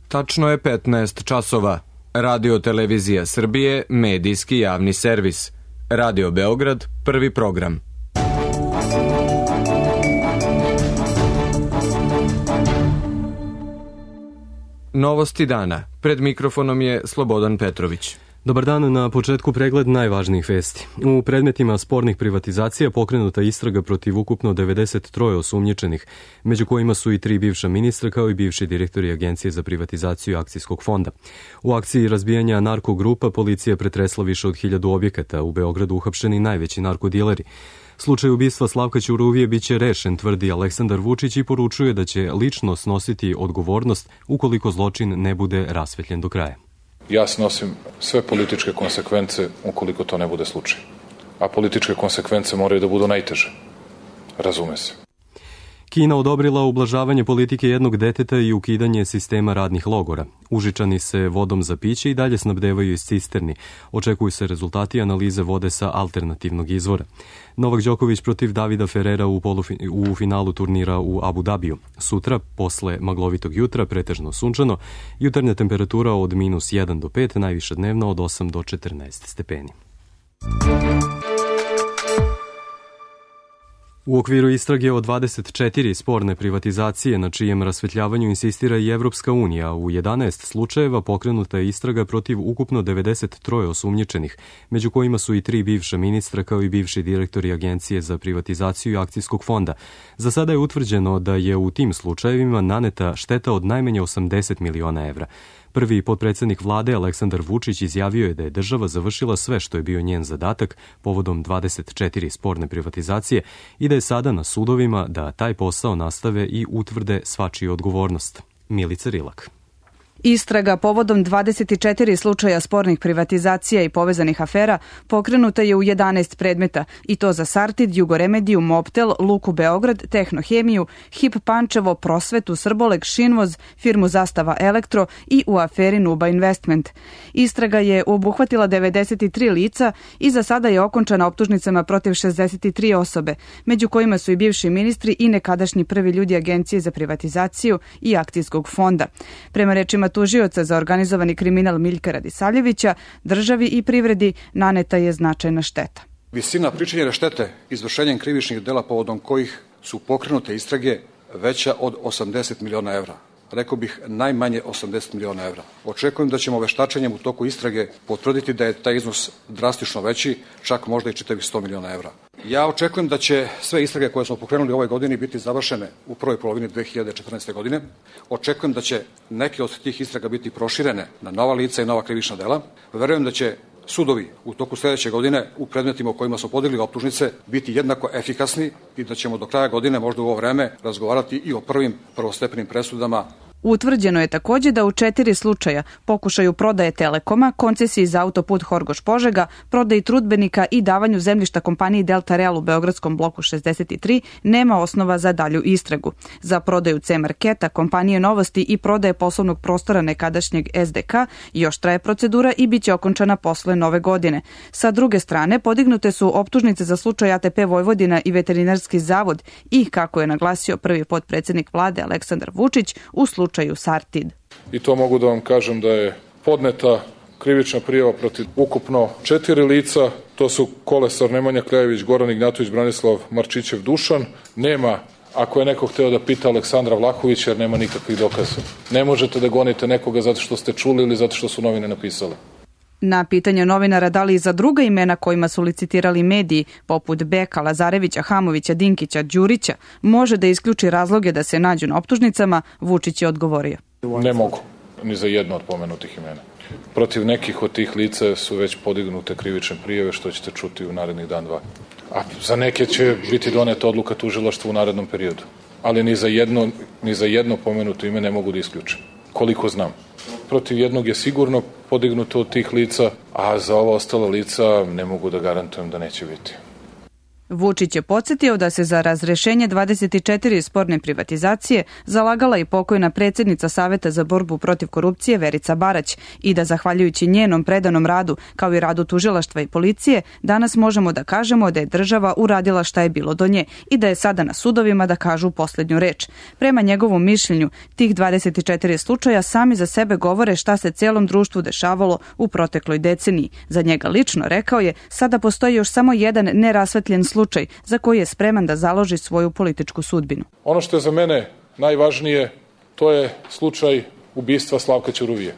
Tačno je 15 časova. Radio Televizija Srbije, medijski javni servis. Radio Beograd, prvi program. Novosti dana. Pred mikrofonom je Slobodan Petrović. Dobar dan, na početku pregled najvažnijih vesti. U predmetima spornih privatizacija pokrenuta istraga protiv ukupno 93 osumnjičenih, među kojima su i 3 bivša ministra kao i bivši direktori Agencije za privatizaciju akcijskog fonda. U akciji razbijanja narkogrupa policija pretresla više od 1000 objekata, u Beogradu uhapšeni najveći narkodileri. Slučaj ubistva Slavka Ćuruvije biće rešen, tvrdi Aleksandar Vučić i poručuje da će lično snositi odgovornost ukoliko zločin ne bude rasvetljen do kraja. Ja snosim sve političke konsekvence ukoliko to ne bude slučaj. A političke konsekvence moraju da budu najteže. Razume se. Kina odobrila ublažavanje politike jednog deteta i ukidanje sistema radnih logora. Užičani se vodom za piće i dalje snabdevaju iz cisterni. Očekuju se rezultati analize vode sa alternativnog izvora. Novak Đoković protiv Davida Ferrera u finalu turnira u Abu Dabiju. Sutra, posle maglovitog jutra, pretežno sunčano, jutarnja temperatura od -1 do 5, najviša dnevna od 8 do 14 stepeni. U okviru istrage o 24 sporne privatizacije na čijem rasvetljavanju insistira i Evropska unija, u 11 slučajeva pokrenuta je istraga protiv ukupno 93 osumnjičenih, među kojima su i 3 bivša ministra kao i bivši direktori Agencije za privatizaciju akcijskog fonda. Za sada je utvrđeno da je u tim slučajevima naneta šteta od najmanje 80 miliona evra. Prvi potpredsednik vlade Aleksandar Vučić izjavio je da je država završila sve što je bio njen zadatak povodom 24 sporne privatizacije i da je sada na sudovima da taj posao nastave i utvrde svačiju odgovornost. Milica Rilak. Istraga povodom 24 slučaja spornih privatizacija i povezanih afera pokrenuta je u 11 predmeta, i to za Sartid, Jugoremediju, Mobtel, Luku Beograd, Tehnohemiju, HIP Pančevo, Prosvetu, Srboleg, Šinvoz, firmu Zastava Elektro i u aferi Nuba Investment. Istraga je obuhvatila 93 lica i za sada je okončana optužnicama protiv 63 osobe, među kojima su i bivši ministri i nekadašnji prvi ljudi Agencije za privatizaciju i akcijskog fonda. Prema rečima tužioca za organizovani kriminal Miljka Radisavljevića, državi i privredi naneta je značajna šteta. Visina pričinjene štete izvršenjem krivičnih dela povodom kojih su pokrenute istrage veća od 80 miliona evra. Rekao bih najmanje 80 miliona evra. Očekujem da ćemo veštačenjem u toku istrage potvrditi da je taj iznos drastično veći, čak možda i čitavih 100 miliona evra. Ja očekujem da će sve istrage koje smo pokrenuli ove godini biti završene u prvoj polovini 2014. godine. Očekujem da će neke od tih istraga biti proširene na nova lica i nova krivična dela. Verujem da će sudovi u toku sledeće godine u predmetima u kojima smo podigli optužnice biti jednako efikasni i da ćemo do kraja godine, možda u ovo vreme, razgovarati i o prvim prvostepenim presudama. Utvrđeno je takođe da u 4 slučaja, pokušaju prodaje Telekoma, koncesiji za autoput Horgoš-Požega, prodaji trudbenika i davanju zemljišta kompaniji Delta Real u Beogradskom bloku 63, nema osnova za dalju istragu. Za prodaju C-Marketa, kompanije Novosti i prodaje poslovnog prostora nekadašnjeg SDK još traje procedura i biće okončana posle nove godine. Sa druge strane, podignute su optužnice za slučaj ATP Vojvodina i Veterinarski zavod i, kako je naglasio prvi potpredsednik vlade Aleksandar Vučić, u slučaju Sartid. I to mogu da vam kažem da je podneta krivična prijava protiv ukupno 4 lica. To su Kolesar Nemanja Kljajević, Goran Ignjatović, Branislav Marčićev, Dušan. Nema, ako je neko hteo da pita, Aleksandra Vlahovića, jer nema nikakvih dokaza. Ne možete da gonite nekoga zato što ste čuli ili zato što su novine napisale. Na pitanje novinara da li i za druga imena kojima su licitirali mediji, poput Beka, Lazarevića, Hamovića, Dinkića, Đurića, može da isključi razloge da se nađu na optužnicama, Vučić je odgovorio. Ne mogu, ni za jedno od pomenutih imena. Protiv nekih od tih lica su već podignute krivične prijave, što ćete čuti u narednih dan, dva. A za neke će biti doneta odluka tužilaštva u narednom periodu. Ali ni za jedno pomenuto ime ne mogu da isključim, koliko znam. Protiv jednog je sigurno podignuto od tih lica, a za ova ostala lica ne mogu da garantujem da neće biti. Vučić je podsjetio da se za razrešenje 24 sporne privatizacije zalagala i pokojna predsjednica Saveta za borbu protiv korupcije Verica Barać i da zahvaljujući njenom predanom radu, kao i radu tužilaštva i policije, danas možemo da kažemo da je država uradila šta je bilo do nje i da je sada na sudovima da kažu posljednju reč. Prema njegovom mišljenju, tih 24 slučaja sami za sebe govore šta se celom društvu dešavalo u protekloj deceniji. Za njega lično, rekao je, sada postoji još samo jedan nerasvetljen slučaj za koji je spreman da založi svoju političku sudbinu. Ono što je za mene najvažnije, to je slučaj ubistva Slavka Ćuruvije.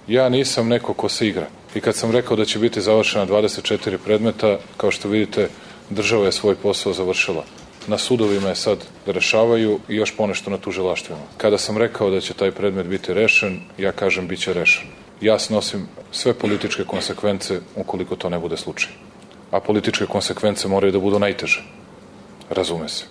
Ja nisam neko ko se igra. I kad sam rekao da će biti završena 24 predmeta, kao što vidite, država je svoj posao završila. Na sudovima je sad da rešavaju i još ponešto na tužilaštvima. Kada sam rekao da će taj predmet biti rešen, ja kažem bit će rešen. Ja snosim sve političke konsekvence ukoliko to ne bude slučaj. A političke konsekvence moraju da budu najteže. Razume se.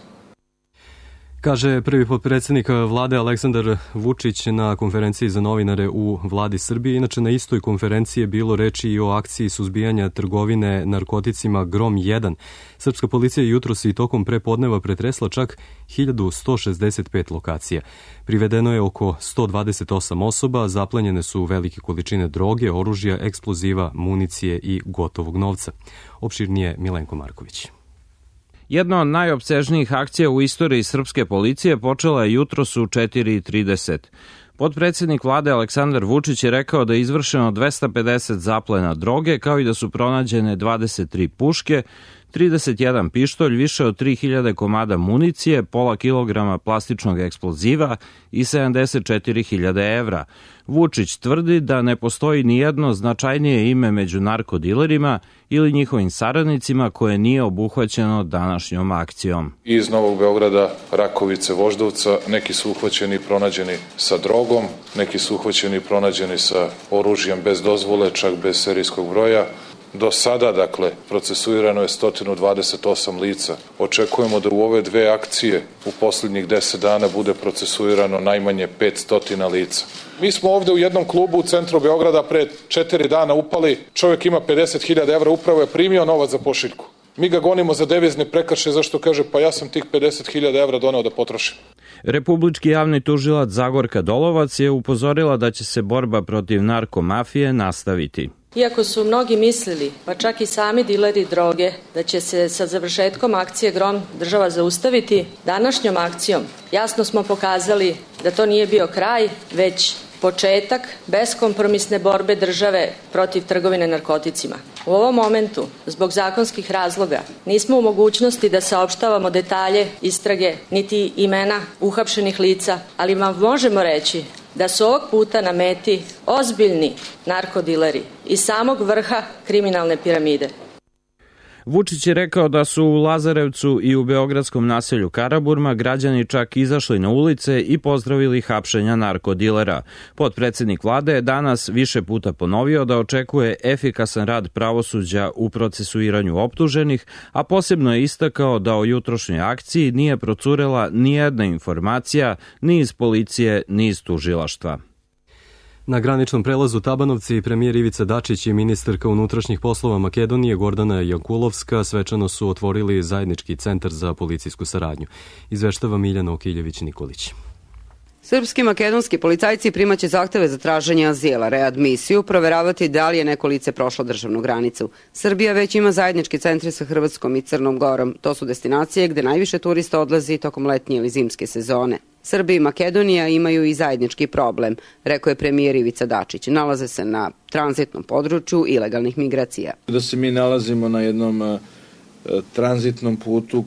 Kaže prvi potpredsjednik vlade Aleksandar Vučić na konferenciji za novinare u vladi Srbije. Inače, na istoj konferenciji je bilo reči i o akciji suzbijanja trgovine narkoticima Grom 1. Srpska policija jutros i tokom prepodneva pretresla čak 1165 lokacija. Privedeno je oko 128 osoba, zaplenjene su velike količine droge, oružja, eksploziva, municije i gotovog novca. Opširnije Milenko Marković. Jedna od najopsežnijih akcija u istoriji srpske policije počela je jutros u 4:30. Potpredsjednik vlade Aleksandar Vučić je rekao da je izvršeno 250 zaplena droge, kao i da su pronađene 23 puške, 31 pištolj, više od 3000 komada municije, pola kilograma plastičnog eksploziva i 74.000 evra. Vučić tvrdi da ne postoji nijedno značajnije ime među narkodilerima ili njihovim saradnicima koje nije obuhvaćeno današnjom akcijom. Iz Novog Beograda, Rakovice, Voždovca, neki su uhvaćeni i pronađeni sa drogom, neki su uhvaćeni i pronađeni sa oružjem bez dozvole, čak bez serijskog broja. Do sada, dakle, procesuirano je 128 lica. Očekujemo da u ove dve akcije u posljednjih 10 dana bude procesuirano najmanje 500 lica. Mi smo ovde u jednom klubu u centru Beograda pre 4 dana upali, čovjek ima 50.000 evra, upravo je primio novac za pošiljku. Mi ga gonimo za devizne prekršaje, zašto kaže, pa ja sam tih 50.000 evra doneo da potrošim. Republički javni tužilac Zagorka Dolovac je upozorila da će se borba protiv narkomafije nastaviti. Iako su mnogi mislili, pa čak i sami dileri droge, da će se sa završetkom akcije Grom država zaustaviti, današnjom akcijom jasno smo pokazali da to nije bio kraj, već početak beskompromisne borbe države protiv trgovine narkoticima. U ovom momentu, zbog zakonskih razloga, nismo u mogućnosti da saopštavamo detalje istrage niti imena uhapšenih lica, ali vam možemo reći da su ovog puta na meti ozbiljni narkodileri iz samog vrha kriminalne piramide. Vučić je rekao da su u Lazarevcu i u beogradskom naselju Karaburma građani čak izašli na ulice i pozdravili hapšenja narkodilera. Potpredsjednik vlade je danas više puta ponovio da očekuje efikasan rad pravosuđa u procesuiranju optuženih, a posebno je istakao da o jutrošnjoj akciji nije procurela nijedna informacija ni iz policije ni iz tužilaštva. Na graničnom prelazu Tabanovci premijer Ivica Dačić i ministarka unutrašnjih poslova Makedonije Gordana Jankulovska svečano su otvorili zajednički centar za policijsku saradnju. Izveštava Miljana Okiljević-Nikolić. Srpski i makedonski policajci primaće zahteve za traženje azila, readmisiju, proveravati da li je neko lice prošlo državnu granicu. Srbija već ima zajednički centre sa Hrvatskom i Crnom Gorom. To su destinacije gde najviše turista odlazi tokom letnje ili zimske sezone. Srbija i Makedonija imaju i zajednički problem, rekao je premijer Ivica Dačić. Nalaze se na tranzitnom području ilegalnih migracija. Da se mi nalazimo na jednom tranzitnom putu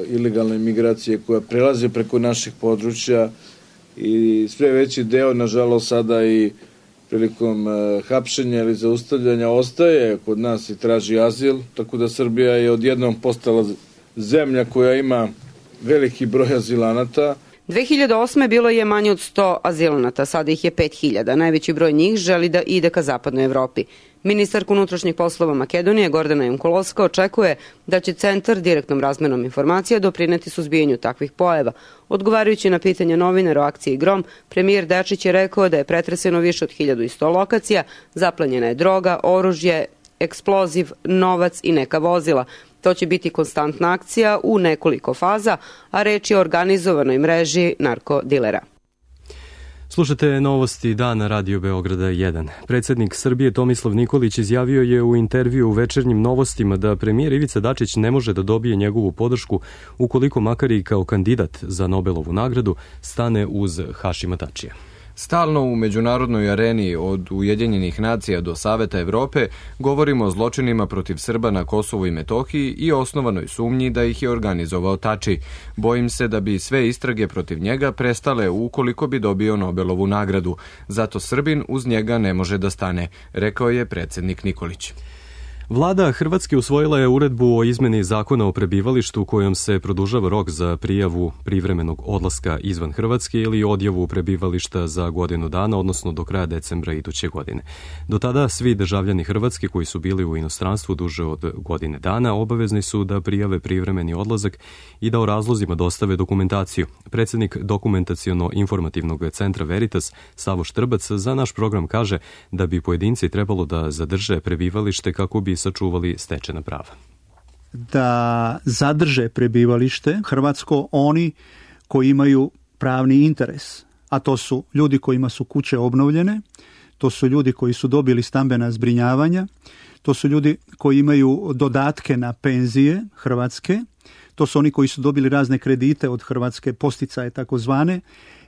ilegalne migracije koja prelaze preko naših područja i sve veći deo, nažalost, sada i prilikom hapšenja ili zaustavljanja ostaje kod nas i traži azil, tako da Srbija je odjednom postala zemlja koja ima veliki broj azilanata. 2008. bilo je manje od 100 azilanata, sada ih je 5000. Najveći broj njih želi da ide ka zapadnoj Evropi. Ministarka unutrašnjih poslova Makedonije Gordana Jankulovska očekuje da će centar direktnom razmenom informacija doprineti suzbijanju takvih pojava. Odgovarajući na pitanje novinara o akciji Grom, premijer Dačić je rekao da je pretreseno više od 1100 lokacija, zaplenjena je droga, oružje, eksploziv, novac i neka vozila. To će biti konstantna akcija u nekoliko faza, a reč je o organizovanoj mreži narkodilera. Slušate novosti dana Radio Beograda 1. Predsednik Srbije Tomislav Nikolić izjavio je u intervju u Večernjim novostima da premijer Ivica Dačić ne može da dobije njegovu podršku ukoliko makar i kao kandidat za Nobelovu nagradu stane uz Hašima Tačija. Stalno u međunarodnoj areni od Ujedinjenih nacija do Saveta Evrope govorimo o zločinima protiv Srba na Kosovu i Metohiji i osnovanoj sumnji da ih je organizovao Tači. Bojim se da bi sve istrage protiv njega prestale ukoliko bi dobio Nobelovu nagradu. Zato Srbin uz njega ne može da stane, rekao je predsednik Nikolić. Vlada Hrvatske usvojila je uredbu o izmeni zakona o prebivalištu kojom se produžava rok za prijavu privremenog odlaska izvan Hrvatske ili odjavu prebivališta za godinu dana, odnosno do kraja decembra iduće godine. Do tada svi državljani Hrvatske koji su bili u inostranstvu duže od godine dana obavezni su da prijave privremeni odlazak i da o razlozima dostave dokumentaciju. Predsednik Dokumentaciono-informativnog centra Veritas Savo Štrbac za naš program kaže da bi pojedinci trebalo da zadrže prebivalište kako bi sačuvali stečena prava. Da zadrže prebivalište hrvatsko oni koji imaju pravni interes, a to su ljudi kojima su kuće obnovljene, to su ljudi koji su dobili stambena zbrinjavanja, to su ljudi koji imaju dodatke na penzije hrvatske, to su oni koji su dobili razne kredite od Hrvatske, posticaje takozvane,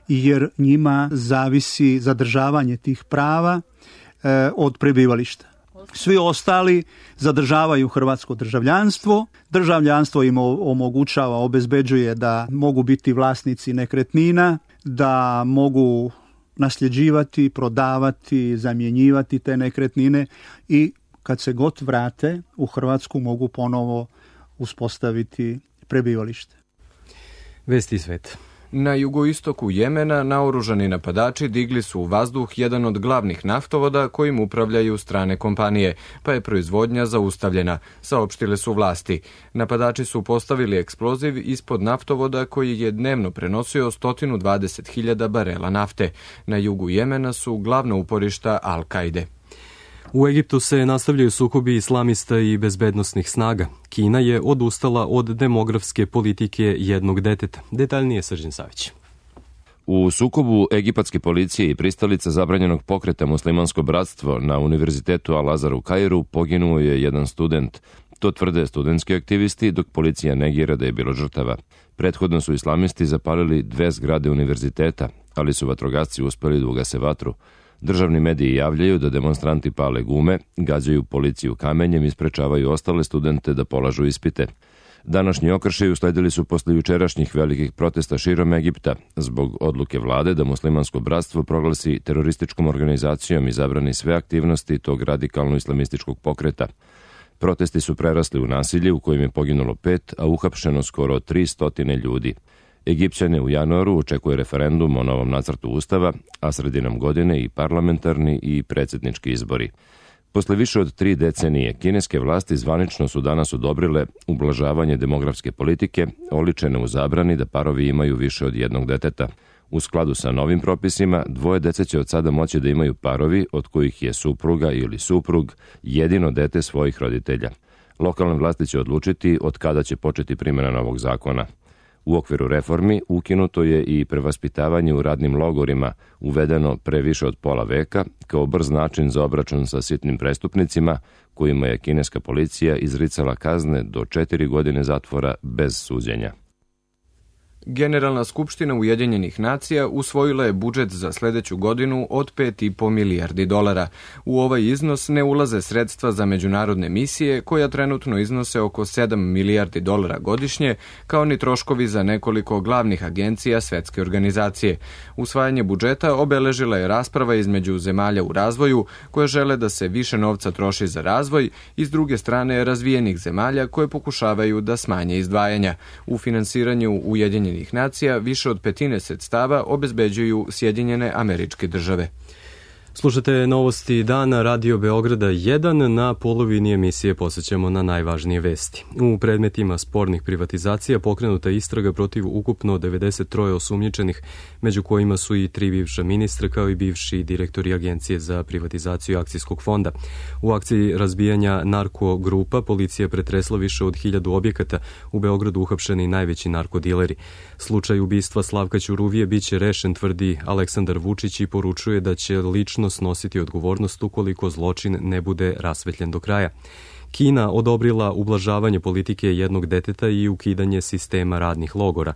jer njima zavisi zadržavanje tih prava od prebivališta. Svi ostali zadržavaju hrvatsko državljanstvo. Državljanstvo im omogućava, obezbeđuje da mogu biti vlasnici nekretnina, da mogu nasljeđivati, prodavati, zamjenjivati te nekretnine i kad se god vrate u Hrvatsku mogu ponovo uspostaviti prebivalište. Vesti sveta. Na jugoistoku Jemena naoružani napadači digli su u vazduh jedan od glavnih naftovoda kojim upravljaju strane kompanije, pa je proizvodnja zaustavljena, saopštile su vlasti. Napadači su postavili eksploziv ispod naftovoda koji je dnevno prenosio 120.000 barela nafte. Na jugu Jemena su glavna uporišta Al-Kaide. U Egiptu se nastavljaju sukobi islamista i bezbednosnih snaga. Kina je odustala od demografske politike jednog deteta. Detaljnije Srđan Savić. U sukobu egipatske policije i pristalica zabranjenog pokreta Muslimansko bratstvo na Univerzitetu Al-Azhar u Kairu poginuo je jedan student. To tvrde studentski aktivisti, dok policija negira da je bilo žrtava. Prethodno su islamisti zapalili 2 zgrade univerziteta, ali su vatrogasci uspeli da ugase vatru. Državni mediji javljaju da demonstranti pale gume, gađaju policiju kamenjem i sprečavaju ostale studente da polažu ispite. Današnji okršaji usledili su posle jučerašnjih velikih protesta širom Egipta zbog odluke vlade da Muslimansko bratstvo proglasi terorističkom organizacijom i zabrani sve aktivnosti tog radikalno-islamističkog pokreta. Protesti su prerasli u nasilje u kojem je poginulo 5, a uhapšeno skoro 300 ljudi. Egipćane u januaru očekuje referendum o novom nacrtu ustava, a sredinom godine i parlamentarni i predsjednički izbori. Posle više od 3 decenije, kineske vlasti zvanično su danas odobrile ublažavanje demografske politike, oličene u zabrani da parovi imaju više od jednog deteta. U skladu sa novim propisima, 2 dece će od sada moći da imaju parovi od kojih je supruga ili suprug jedino dete svojih roditelja. Lokalne vlasti će odlučiti od kada će početi primjena novog zakona. U okviru reformi ukinuto je i prevaspitavanje u radnim logorima, uvedeno pre više od pola veka, kao brz način za obračun sa sitnim prestupnicima, kojima je kineska policija izricala kazne do 4 godine zatvora bez suđenja. Generalna skupština Ujedinjenih nacija usvojila je budžet za sledeću godinu od 5,5 milijardi dolara. U ovaj iznos ne ulaze sredstva za međunarodne misije, koja trenutno iznose oko 7 milijardi dolara godišnje, kao ni troškovi za nekoliko glavnih agencija Svetske organizacije. Usvajanje budžeta obeležila je rasprava između zemalja u razvoju, koje žele da se više novca troši za razvoj, i s druge strane razvijenih zemalja koje pokušavaju da smanje izdvajanja. U finansiranju Ujedinjenih nacija više od 1/5 sredstava obezbeđuju Sjedinjene Američke Države. Slušate novosti dana Radio Beograda 1. Na polovini emisije posjećamo na najvažnije vesti. U predmetima spornih privatizacija pokrenuta istraga protiv ukupno 93 osumnjičenih, među kojima su i 3 bivša ministra kao i bivši direktori Agencije za privatizaciju akcijskog fonda. U akciji razbijanja narkogrupa policija pretresla više od 1000 objekata, u Beogradu uhapšeni najveći narkodileri. Slučaj ubistva Slavka Ćuruvije biće rešen, tvrdi Aleksandar Vučić i poručuje da će lično snositi odgovornost ukoliko zločin ne bude rasvetljen do kraja. Kina odobrila ublažavanje politike jednog deteta i ukidanje sistema radnih logora.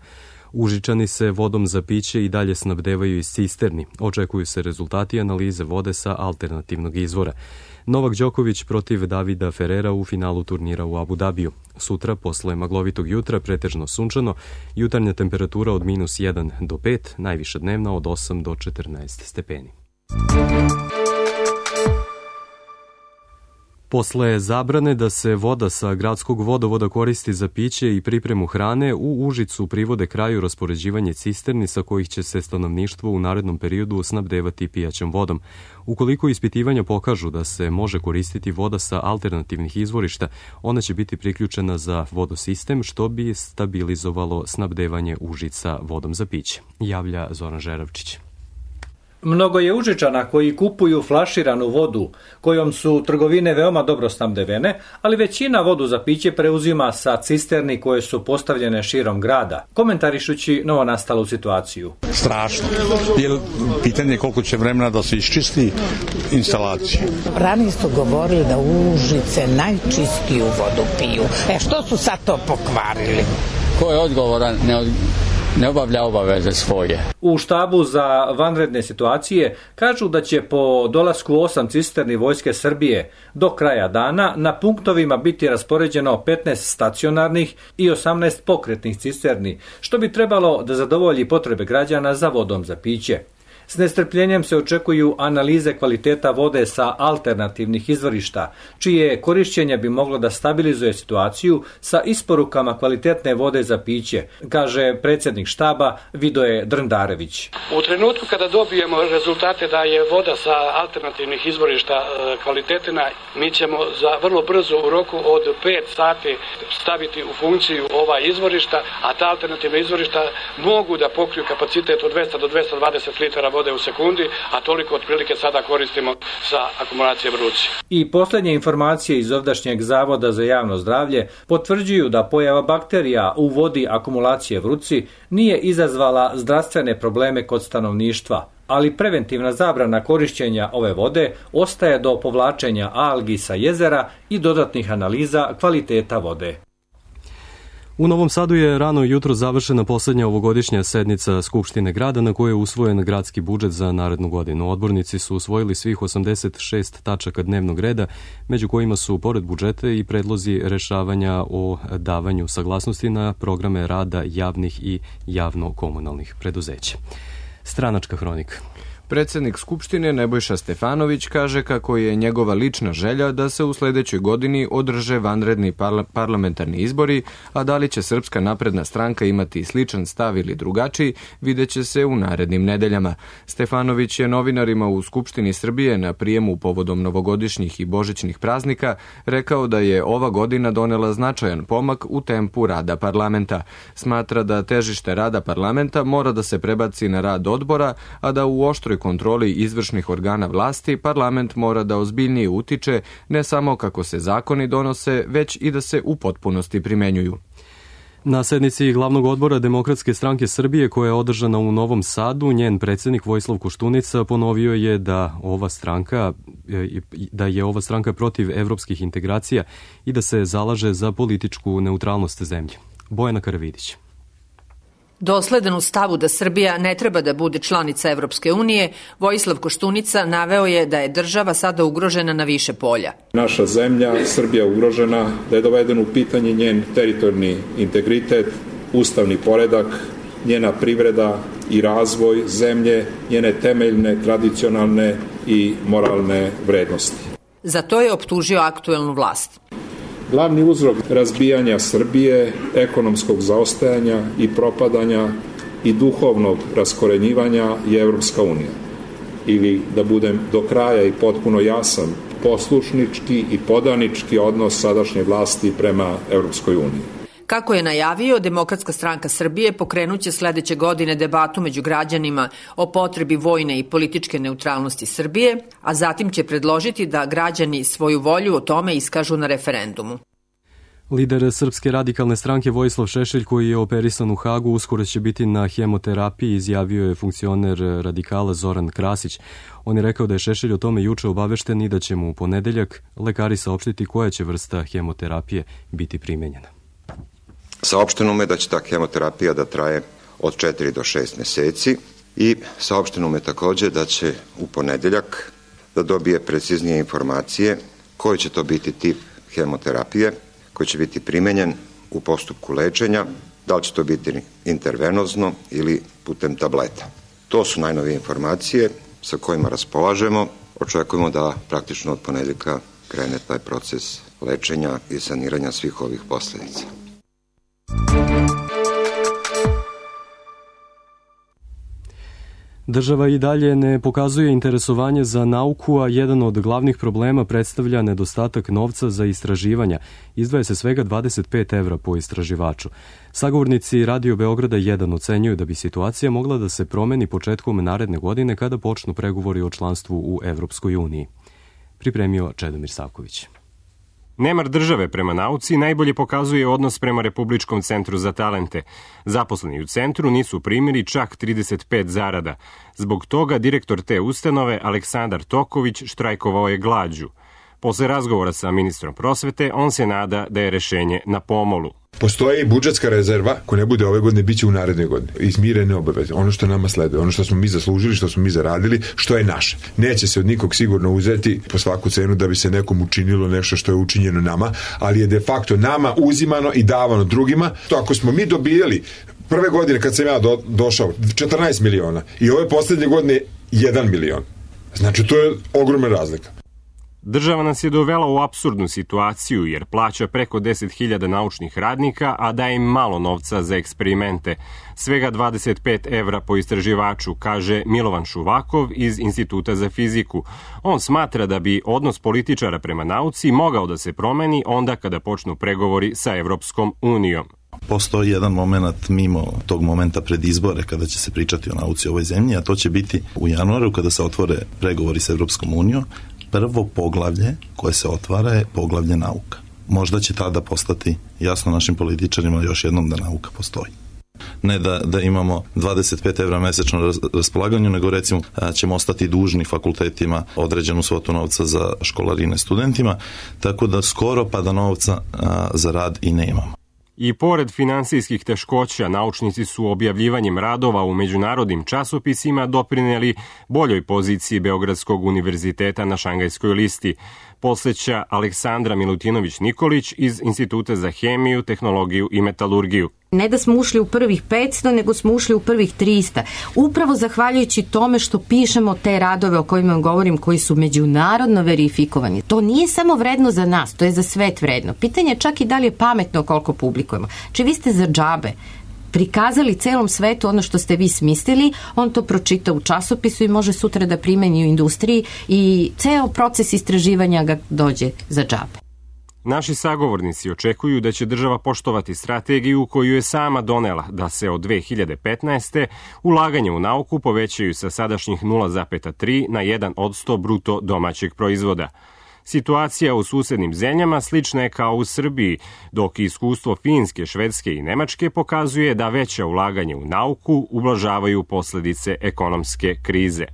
Užičani se vodom za piće i dalje snabdevaju iz cisterni. Očekuju se rezultati analize vode sa alternativnog izvora. Novak Đoković protiv Davida Ferrera u finalu turnira u Abu Dabiju. Sutra, posle maglovitog jutra, pretežno sunčano, jutarnja temperatura od -1 do 5, najviša dnevna od 8 do 14 stepeni. Posle zabrane da se voda sa gradskog vodovoda koristi za piće i pripremu hrane, u Užicu privode kraju raspoređivanje cisterni sa kojih će se stanovništvo u narednom periodu snabdevati pijaćom vodom. Ukoliko ispitivanja pokažu da se može koristiti voda sa alternativnih izvorišta, ona će biti priključena za vodosistem, što bi stabilizovalo snabdevanje Užica vodom za piće, javlja Zoran Žeravčić. Mnogo je Užičana koji kupuju flaširanu vodu, kojom su trgovine veoma dobro snabdevene, ali većina vodu za piće preuzima sa cisterni koje su postavljene širom grada, komentarišući novonastalu situaciju. Strašno, jer pitanje je koliko će vremena da se iščisti instalacija. Ranije su govorili da Užice najčistiju vodu piju. Što su sad to pokvarili? Ko je odgovoran? Ne obavlja obaveze svoje. U štabu za vanredne situacije kažu da će po dolasku 8 cisterni Vojske Srbije do kraja dana na punktovima biti raspoređeno 15 stacionarnih i 18 pokretnih cisterni, što bi trebalo da zadovolji potrebe građana za vodom za piće. S nestrpljenjem se očekuju analize kvaliteta vode sa alternativnih izvorišta, čije korišćenje bi moglo da stabilizuje situaciju sa isporukama kvalitetne vode za piće, kaže predsjednik štaba Vidoje Drndarević. U trenutku kada dobijemo rezultate da je voda sa alternativnih izvorišta kvalitetna, mi ćemo za vrlo brzo u roku od 5 sati staviti u funkciju ova izvorišta, a ta alternativna izvorišta mogu da pokriju kapacitet od 200 do 220 litara vode u sekundi, a toliko otprilike sada koristimo za akumulacije Vruci. I posljednje informacije iz ovdašnjeg Zavoda za javno zdravlje potvrđuju da pojava bakterija u vodi akumulacije Vruci nije izazvala zdravstvene probleme kod stanovništva, ali preventivna zabrana korišćenja ove vode ostaje do povlačenja algi sa jezera i dodatnih analiza kvaliteta vode. U Novom Sadu je rano jutro završena poslednja ovogodišnja sednica Skupštine grada na kojoj je usvojen gradski budžet za narednu godinu. Odbornici su usvojili svih 86 tačaka dnevnog reda, među kojima su pored budžeta i predlozi rešavanja o davanju saglasnosti na programe rada javnih i javno-komunalnih preduzeća. Stranačka hronika. Predsjednik Skupštine Nebojša Stefanović kaže kako je njegova lična želja da se u sledećoj godini održe vanredni parlamentarni izbori, a da li će Srpska napredna stranka imati sličan stav ili drugačiji, videće se u narednim nedeljama. Stefanović je novinarima u Skupštini Srbije na prijemu povodom novogodišnjih i božićnih praznika rekao da je ova godina donela značajan pomak u tempu rada parlamenta. Smatra da težište rada parlamenta mora da se prebaci na rad odbora, a da u oštroj kontroli izvršnih organa vlasti parlament mora da ozbiljnije utiče ne samo kako se zakoni donose, već i da se u potpunosti primenjuju. Na sednici glavnog odbora Demokratske stranke Srbije koja je održana u Novom Sadu, njen predsjednik Vojislav Koštunica ponovio je da je ova stranka protiv evropskih integracija i da se zalaže za političku neutralnost zemlje. Bojana Karavidić. Dosledan u stavu da Srbija ne treba da bude članica Evropske unije, Vojislav Koštunica naveo je da je država sada ugrožena na više polja. Naša zemlja, Srbija ugrožena, da je doveden u pitanje njen teritorijalni integritet, ustavni poredak, njena privreda i razvoj zemlje, njene temeljne, tradicionalne i moralne vrednosti. Za to je optužio aktuelnu vlast. Glavni uzrok razbijanja Srbije, ekonomskog zaostajanja i propadanja i duhovnog raskorenjivanja je Evropska unija. ili da budem do kraja i potpuno jasan, poslušnički i podanički odnos sadašnje vlasti prema Europskoj uniji. Kako je najavio, Demokratska stranka Srbije pokrenuće sledeće godine debatu među građanima o potrebi vojne i političke neutralnosti Srbije, a zatim će predložiti da građani svoju volju o tome iskažu na referendumu. Lider Srpske radikalne stranke Vojislav Šešelj, koji je operisan u Hagu, uskoro će biti na hemoterapiji, izjavio je funkcioner radikala Zoran Krasić. On je rekao da je Šešelj o tome juče obavešten i da će mu u ponedeljak lekari saopštiti koja će vrsta hemoterapije biti primenjena. Saopšteno mu je da će ta hemoterapija da traje od 4 do 6 meseci i saopšteno mu je takođe da će u ponedeljak da dobije preciznije informacije koji će to biti tip hemoterapije koji će biti primenjen u postupku lečenja, da li će to biti intervenozno ili putem tableta. To su najnovije informacije sa kojima raspolažemo. Očekujemo da praktično od ponedeljka krene taj proces lečenja i saniranja svih ovih posledica. Država i dalje ne pokazuje interesovanje za nauku, a jedan od glavnih problema predstavlja nedostatak novca za istraživanja. Izdvaja se svega 25 evra po istraživaču. Sagovornici Radio Beograda 1 ocenjuju da bi situacija mogla da se promeni početkom naredne godine kada počnu pregovori o članstvu u Evropskoj uniji. Pripremio Čedomir Savković. Nemar države prema nauci najbolje pokazuje odnos prema Republičkom centru za talente. Zaposleni u centru nisu primili čak 35 zarada. Zbog toga direktor te ustanove, Aleksandar Toković, štrajkovao je glađu. Posle razgovora sa ministrom prosvete, on se nada da je rešenje na pomolu. Postoji budžetska rezerva, ko ne bude ove godine, bit će u narednoj godini. Izmirene obaveze, ono što nama sleduje, ono što smo mi zaslužili, što smo mi zaradili, što je naše. Neće se od nikog sigurno uzeti po svaku cenu da bi se nekom učinilo nešto što je učinjeno nama, ali je de facto nama uzimano i davano drugima. To ako smo mi dobijali prve godine kad sam ja došao 14 miliona i ove poslednje godine 1 milion. Znači to je ogromna razlika. Država nas je dovela u apsurdnu situaciju jer plaća preko 10.000 naučnih radnika, a daje im malo novca za eksperimente. Svega 25 evra po istraživaču, kaže Milovan Šuvakov iz Instituta za fiziku. On smatra da bi odnos političara prema nauci mogao da se promeni onda kada počnu pregovori sa Evropskom unijom. Postoji jedan moment mimo tog momenta pred izbore kada će se pričati o nauci u ovoj zemlji, a to će biti u januaru kada se otvore pregovori sa Evropskom unijom. Prvo poglavlje koje se otvara je poglavlje nauka. Možda će tada postati jasno našim političarima još jednom da nauka postoji. Ne da imamo 25 evra mesečno na raspolaganju, nego recimo ćemo ostati dužni fakultetima određenu svotu novca za školarine studentima, tako da skoro pa da novca za rad i nemamo. I pored finansijskih teškoća, naučnici su objavljivanjem radova u međunarodnim časopisima doprineli boljoj poziciji Beogradskog univerziteta na Šangajskoj listi, posveća Aleksandra Milutinović-Nikolić iz Instituta za hemiju, tehnologiju i metalurgiju. Ne da smo ušli u prvih 500, nego smo ušli u prvih 300. Upravo zahvaljujući tome što pišemo te radove o kojima govorim, koji su međunarodno verifikovani. To nije samo vredno za nas, to je za svet vredno. Pitanje je čak i da li je pametno koliko publikujemo. Či vi ste za džabe prikazali celom svetu ono što ste vi smislili, on to pročita u časopisu i može sutra da primeni u industriji i ceo proces istraživanja ga dođe za džabe. Naši sagovornici očekuju da će država poštovati strategiju koju je sama donela, da se od 2015. ulaganje u nauku povećaju sa sadašnjih 0,3 na 1% bruto domaćeg proizvoda. Situacija u susednim zemljama slična je kao u Srbiji, dok iskustvo Finske, Švedske i Nemačke pokazuje da veća ulaganje u nauku ublažavaju posledice ekonomske krize.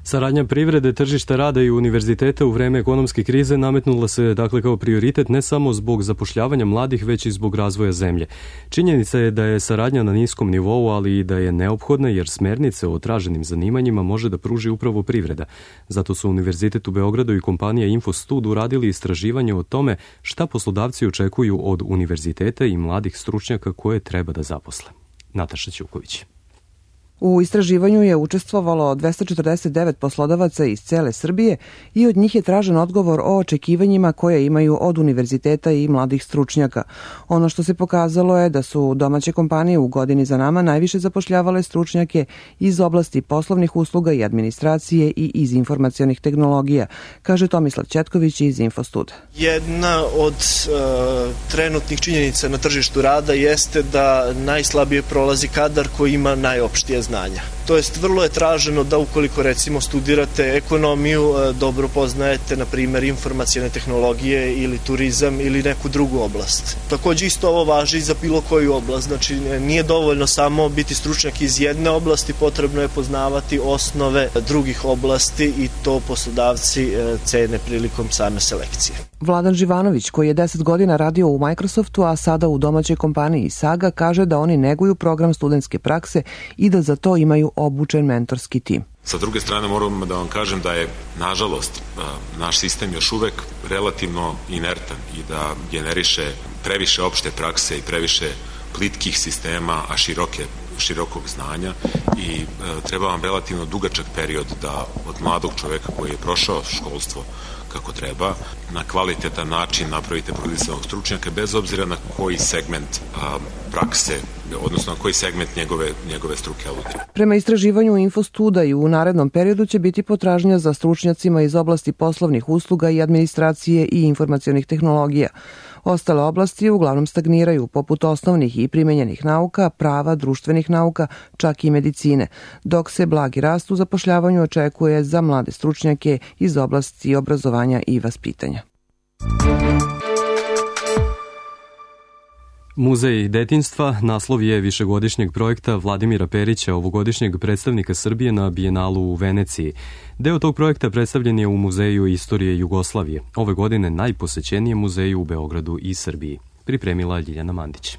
Saradnja privrede, tržišta rada i univerziteta u vreme ekonomske krize nametnula se kao prioritet ne samo zbog zapošljavanja mladih, već i zbog razvoja zemlje. Činjenica je da je saradnja na niskom nivou, ali i da je neophodna jer smernice o traženim zanimanjima može da pruži upravo privreda. Zato su Univerzitet u Beogradu i kompanija Infostud uradili istraživanje o tome šta poslodavci očekuju od univerziteta i mladih stručnjaka koje treba da zaposle. Nataša Ćuković. U istraživanju je učestvovalo 249 poslodavaca iz cele Srbije i od njih je tražen odgovor o očekivanjima koje imaju od univerziteta i mladih stručnjaka. Ono što se pokazalo je da su domaće kompanije u godini za nama najviše zapošljavale stručnjake iz oblasti poslovnih usluga i administracije i iz informacionih tehnologija, kaže Tomislav Ćetković iz Infostuda. Jedna od trenutnih činjenica na tržištu rada jeste da najslabije prolazi kadar koji ima najopštije znanja. To jest, vrlo je traženo da ukoliko recimo studirate ekonomiju, dobro poznajete, na primjer, informacijne tehnologije ili turizam ili neku drugu oblast. Takođe isto ovo važi i za bilo koju oblast, znači nije dovoljno samo biti stručnjak iz jedne oblasti, potrebno je poznavati osnove drugih oblasti i to poslodavci cene prilikom same selekcije. Vladan Živanović, koji je 10 godina radio u Microsoftu, a sada u domaćoj kompaniji Saga, kaže da oni neguju program studentske prakse i da za to imaju obučen mentorski tim. Sa druge strane moram da vam kažem da je, nažalost, naš sistem još uvek relativno inertan i da generiše previše opšte prakse i previše plitkih sistema, a širokog znanja i treba vam relativno dugačak period da od mladog čoveka koji je prošao školstvo kako treba, na kvalitetan način napravite profesionalnog stručnjaka bez obzira na koji segment prakse, odnosno na koji segment njegove struke aludira. Prema istraživanju Infostuda i u narednom periodu će biti potražnja za stručnjacima iz oblasti poslovnih usluga i administracije i informacionih tehnologija. Ostale oblasti uglavnom stagniraju, poput osnovnih i primenjenih nauka, prava, društvenih nauka, čak i medicine, dok se blagi rast u zapošljavanju očekuje za mlade stručnjake iz oblasti obrazovanja i vaspitanja. Muzej detinjstva naslov je višegodišnjeg projekta Vladimira Perića, ovogodišnjeg predstavnika Srbije na Bijenalu u Veneciji. Deo tog projekta predstavljen je u Muzeju istorije Jugoslavije. Ove godine najposećenije muzeje u Beogradu i Srbiji. Pripremila Ljiljana Mandić.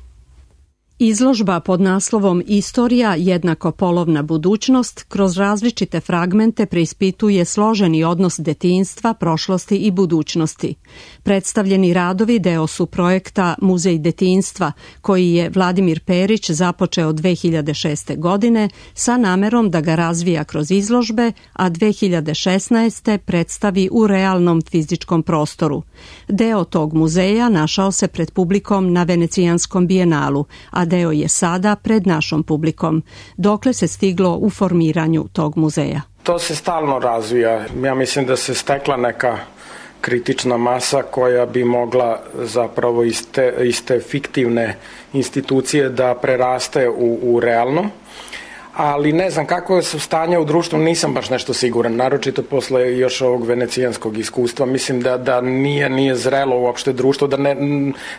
Izložba pod naslovom Istorija jednako polovna budućnost kroz različite fragmente preispituje složeni odnos detinjstva, prošlosti i budućnosti. Predstavljeni radovi deo su projekta Muzej detinjstva, koji je Vladimir Perić započeo 2006. godine sa namerom da ga razvija kroz izložbe, a 2016. predstavi u realnom fizičkom prostoru. Deo tog muzeja našao se pred publikom na Venecijanskom bijenalu, a deo je sada pred našom publikom. Dokle se stiglo u formiranju tog muzeja? To se stalno razvija. Ja mislim da se stekla neka kritična masa koja bi mogla zapravo iz te fiktivne institucije da preraste u realno. Ali ne znam kako su stanja u društvu, nisam baš nešto siguran, naročito posle još ovog venecijanskog iskustva. Mislim da nije zrelo uopšte društvo, da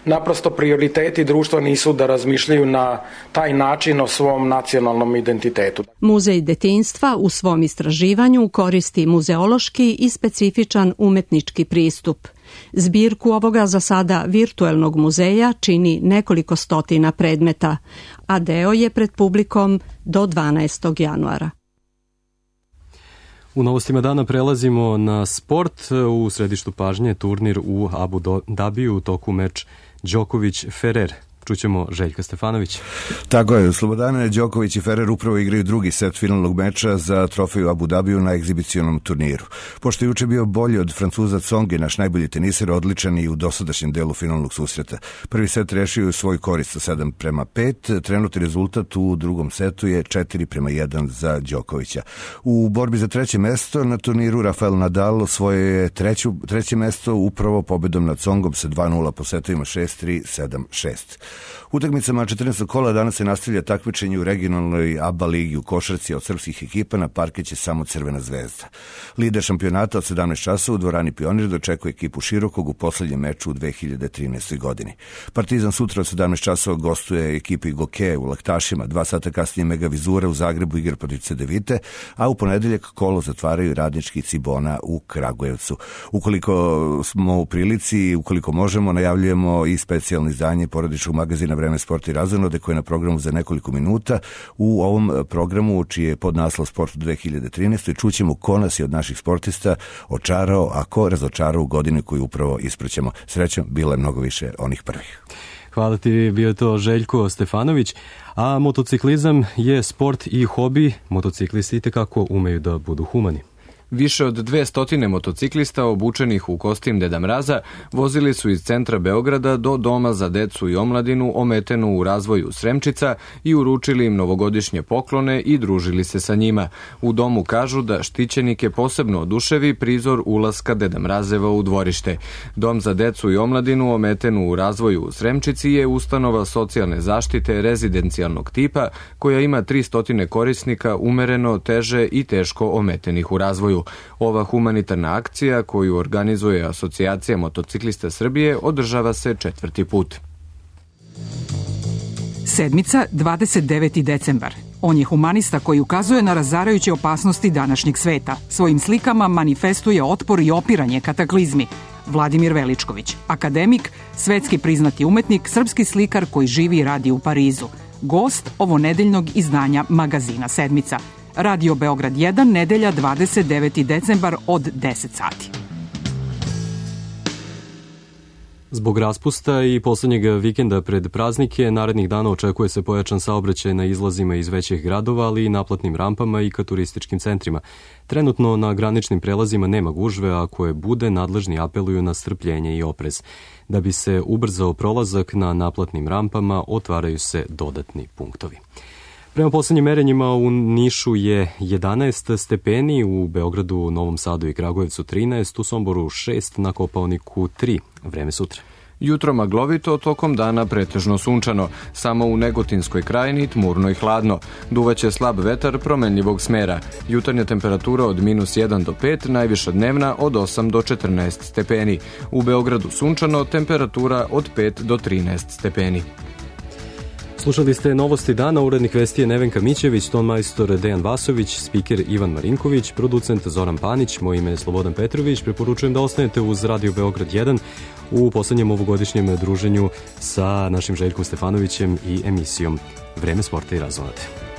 naprosto prioriteti društva nisu da razmišljaju na taj način o svom nacionalnom identitetu. Muzej detinjstva u svom istraživanju koristi muzeološki i specifičan umetnički pristup. Zbirku ovoga za sada virtuelnog muzeja čini nekoliko stotina predmeta, a deo je pred publikom do 12. januara. U novostima dana prelazimo na sport. U središtu pažnje turnir u Abu Dabiju u toku meč Đoković-Ferrer. Čućemo Željka Stefanović. Tako je, Slobodane, Đoković i Ferrer upravo igraju drugi set finalnog meča za trofeju Abu Dabiju na egzibicionom turniru. Pošto je juče bio bolji od Francuza Tsongi, naš najbolji teniser, odličan i u dosadašnjem delu finalnog susreta. Prvi set rešio u svoj korist 7-5, trenutni rezultat u drugom setu je 4-1 za Đokovića. U borbi za treće mesto na turniru Rafael Nadal osvojio je treće mesto upravo pobedom nad Tsongom sa 2-0 po setovima 6-3, 7-6. Utakmicama 14. kola danas se nastavlja takmičenje u regionalnoj ABA ligi u košarci od srpskih ekipa, na parkeće samo Crvena zvezda. Lider šampionata od 17 časova u dvorani Pionir dočekuje ekipu Širokog u poslednjem meču u 2013. godini. Partizan sutra od 17 časova gostuje ekipi Goke u Laktašima, 2 sata kasnije Mega Vizura u Zagrebu igra protiv Cedevite, a u ponedeljak kolo zatvaraju radnički Cibona u Kragujevcu. Ukoliko smo u prilici, ukoliko možemo, najavljujemo i specijalno izdanje porodičnog magazina Vreme, sport i razonode koje je na programu za nekoliko minuta. U ovom programu, čiji je podnaslov Sport u 2013. čućemo ko nas je od naših sportista očarao, a ko razočarao u godini koju upravo ispraćamo. Srećom, bilo je mnogo više onih prvih. Hvala ti, bio to Željko Stefanović. A motociklizam je sport i hobi. Motociklisti itekako umeju da budu humani. Više od 200 motociklista obučenih u kostim Deda Mraza vozili su iz centra Beograda do Doma za decu i omladinu ometenu u razvoju Sremčica i uručili im novogodišnje poklone i družili se sa njima. U domu kažu da štićenike posebno oduševi prizor ulaska Deda Mrazeva u dvorište. Dom za decu i omladinu ometenu u razvoju u Sremčici je ustanova socijalne zaštite rezidencijalnog tipa koja ima 300 korisnika umereno, teže i teško ometenih u razvoju. Ova humanitarna akcija koju organizuje Asocijacija motociklista Srbije održava se 4. put. Sedmica, 29. decembar. On je humanista koji ukazuje na razarajuće opasnosti današnjeg sveta. Svojim slikama manifestuje otpor i opiranje kataklizmi. Vladimir Veličković, akademik, svetski priznati umetnik, srpski slikar koji živi i radi u Parizu. Gost ovonedeljnog izdanja magazina Sedmica. Radio Beograd 1, nedelja 29. decembar od 10 sati. Zbog raspusta i poslednjeg vikenda pred praznike, narednih dana očekuje se pojačan saobraćaj na izlazima iz većih gradova, ali i naplatnim rampama i ka turističkim centrima. Trenutno na graničnim prelazima nema gužve, a ako je bude, nadležni apeluju na strpljenje i oprez. Da bi se ubrzao prolazak na naplatnim rampama, otvaraju se dodatni punktovi. Prema poslednjim merenjima u Nišu je 11 stepeni, u Beogradu, Novom Sadu i Kragujevcu 13, u Somboru 6, na Kopaoniku 3. Vreme sutra. Jutro maglovito, tokom dana pretežno sunčano. Samo u Negotinskoj krajini tmurno i hladno. Duvaće slab vetar promenljivog smera. Jutarnja temperatura od -1 do 5, najviša dnevna od 8 do 14 stepeni. U Beogradu sunčano, temperatura od 5 do 13 stepeni. Slušali ste novosti dana, urednik vesti je Nevenka Mićević, ton majstor Dejan Vasović, spiker Ivan Marinković, producent Zoran Panić, moje ime je Slobodan Petrović. Preporučujem da ostanete uz Radio Beograd 1 u poslednjem ovogodišnjem druženju sa našim Željkom Stefanovićem i emisijom Vreme sporta i razonate.